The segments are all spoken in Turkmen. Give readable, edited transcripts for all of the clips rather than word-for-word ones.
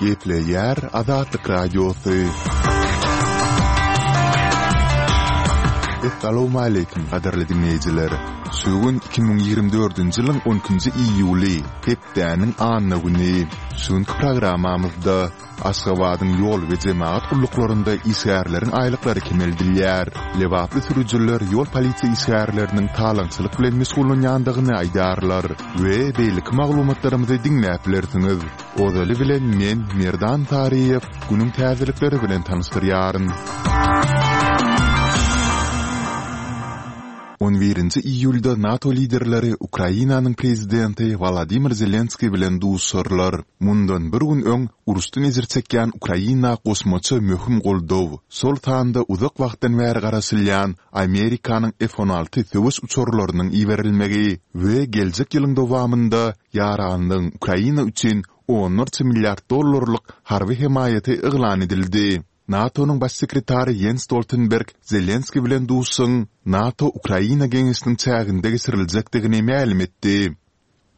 Gepleýär Azatlyk Radiosy. Essalawmaleýkim gadyrly diňleýjiler! Şu gün 2024-nji ýylyň on ikinji iýuly, hepdäniň anna güni. Şu günki programmamyzda Aşgabadyň ýol we jemagat gulluklarynda işgärleriň aýlyklary kemeldilýär. Lebaply sürüjiler ýol polisiýa işgärleriniň talaňçylyk bilen meşgullanýandygyny aýdýarlar we beýleki maglumatlarymyzy diňläp bilersiňiz. Ozaly bilen men, Merdan Saryýew, günüň täzelikleri bilen tanyşdyrýaryn. On birinji iýulda NATO liderleri Ukrainanyň prezidenti Wolodymyr Zelenskiý bilen duşuşarlar. Mundan bir gün öň, uruşdan ejir çekýän Ukraina goşmaça möhüm goldaw, şol sanda uzak wagtdan bäri garaşylýan Amerikanyň F-on alty söweş uçarlarynyň iberilmegi we geljek ýylyň dowamynda ýaranlygyň Ukraina üçin onlarça milliard dollarlyk harby hemaýaty yglan edildi. NATO-nyň Baş sekretary Ýens Stoltenberg Zelenskiý bilen duşuşygyň NATO-Ukraina geňeşiniň çäginde geçiriljekdigini mälim etdi.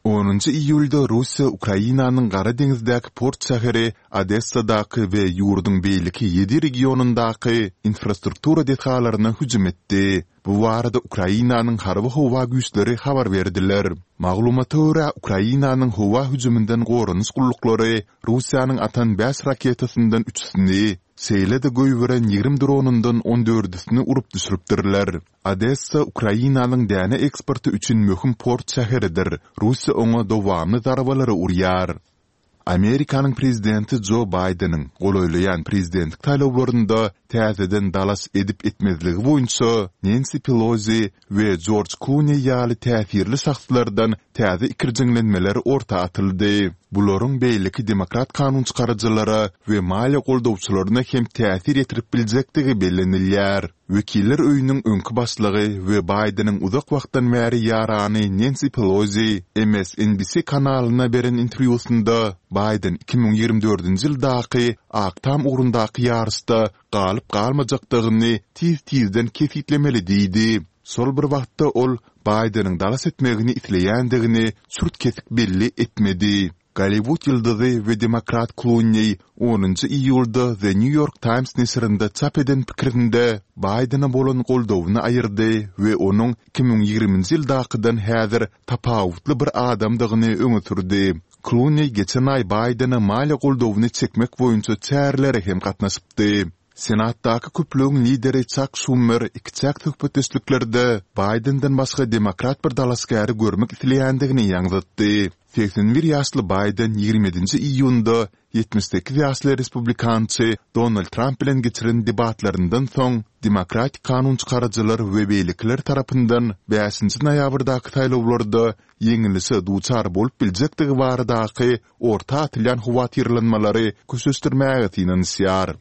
Onunjy iýulda Russiýa Ukrainanyň Gara deňizdäki port şäheri Odessadaky we ýurduň beýleki ýedi regionyndaky infrastruktura desgalaryna hüjüm etdi. Bu barada Ukrainanyň Harby-howa güýçleri habar berdiler. Maglumata görä, Ukrainanyň howa hüjüminden goranyş gulluklary Russiýanyň atan bäş raketasyndan üçüsini, şeýle-de goýberen 20 dronundan on dördüsini urup düşüripdirler. Odessa Ukrainanyň däne eksporty üçin möhüm port şäheridir, Russiýa oňa dowamly zarbalary urýar. Amerikanyň prezidenti Jo Baýdeniň golaýlaýan prezidentlik saýlawlarynda täzeden dalaş edip-etmezligi boýunça Nensi Pelozi we Jorj Kluneý ýaly täsirli şahslardan täze ikirjiňlenmeler orta atyldy. Bularyň beýleki demokrat kanunçykaryjylara we maliýe goldawçylaryna hem täsir ýetirip biljekdigi bellenilýär. Wekiller öýüniň öňki başlygy we Baýdeniň uzak wagtdan bäri ýarany Nensi Pelozi MSNBC kanalyna beren interwýusynda Baýden 2024-nji ýyldaky Ak Tam ugrundaky ýaryşda galyp-galmajakdygyny tiz-tizden kesgitlemeli diýdi. Şol bir wagtda ol Baýdeniň dalas etmegini isleýändigini çürt-kesik belli etmedi. Golliwud ýyldyzy we demokrat Kluneý onunjy iýulda The New York Times neşirinde çap eden pikirinde Baýdene bolan goldawyny aýyrdy we onuň 2020-nji ýyldakydan häzir tapawutly bir adamdygyny öňe sürdi. Kluneý geçen aý Baýdene maliýe goldawyny çekmek boýunça çärelere hem gatnaşypdy. Senatdaky köplügiň lideri Çak Şumer ikiçäk söhbetdeşliklerde Baýdenden başga demokrat bir dalaşgäri görmek isleýändigini ýaňzytdy. 81 ýaşly Baýden 27-nji iýunda 78 ýaşly respublikançy Donald Tramp bilen geçiren debatlaryndan soň demokratik kanunçykaryjylar we beýlekiler tarapyndan bäşinji noýabrdaky saýlawlarda ýeňilişe duçar bolup biljekdigi baradaky orta atylýan howatyrlanmalary köşeşdirmäge synanyşýar.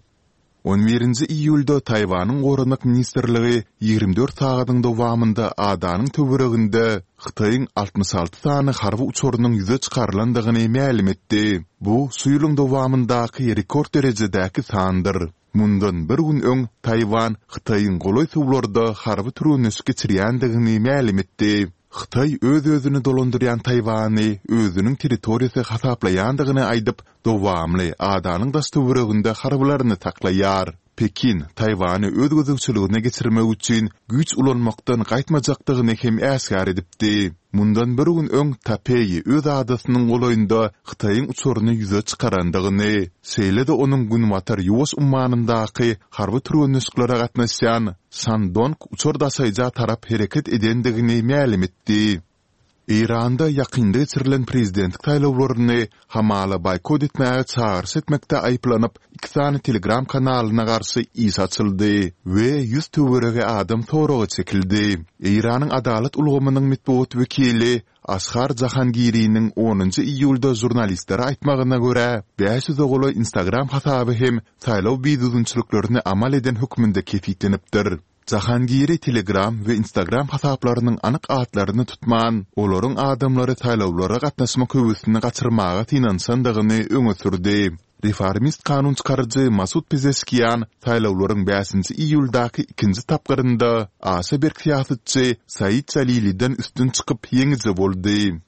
On birinji iýulda Taýwanyň Goranmak ministrligi 24 sagadyň dowamynda adanyň töwereginde Hytaýyň 66 sany harby uçarynyň ýüze çykarylandygyny mälim etdi. Bu şu ýylyň dowamyndaky rekord derejedäki sandyr. Mundan bir gün öň Taýwan Hytaýyň golaý suwlarda harby türgenleşik geçirýändigini mälim etdi. Hytaý öz-özüni dolandyrýan Taýwany özüniň territoriýasy hasaplaýandygyny aýdyp, dowamly adanyň daş-töwereginde harbylaryny saklaýar. Pekin Taýwany öz gözegçiligine geçirmek üçin güýç ulanmakdan gaýtmajakdygyny hem äşgär edipdi. Mundan bir gün öň Tapeý öz adasynyň golaýynda Hytaýyň uçaryny ýüze çykarandygyny, şeýle-de onuň Günbatar Ýuwaş ummanyndaky harby türgenleşiklere gatnaşýan Şandong uçar daşaýja tarap hereket edendigini mälim etdi. Eýranda ýakynda geçirilen prezidentlik saýlawlaryny hamala boýkot etmäge çagyryş etmekde aýyplanyp, iki sany Telegram kanalyna garşy iş açyldy we 100 töweregi adam soraga çekildi. Eýranyň adalat ulgamynyň metbugat wekili Ashar Jahangiriniň onunjy iýulda žurnalistlere aýtmagyna görä, bäş ýüze golaý Instagram hasaby hem saýlaw bidüzgünçiliklerini amal eden hökmünde kesgitlenipdir. Jahangiri Telegram we Instagram hasaplarynyň anyk atlaryny tutman, olaryň adamlary saýlawlara gatnaşmak höwesini gaçyrmaga synanyşandygyny öňe sürdi. Reformist kanun çykaryjy Masud Pezeşkian saýlawlaryň bäşinji iýuldaky ikinji tapgyrynda aşa berk syýasatçy Said Jaliliden üstün çykyp ýeňiji boldy.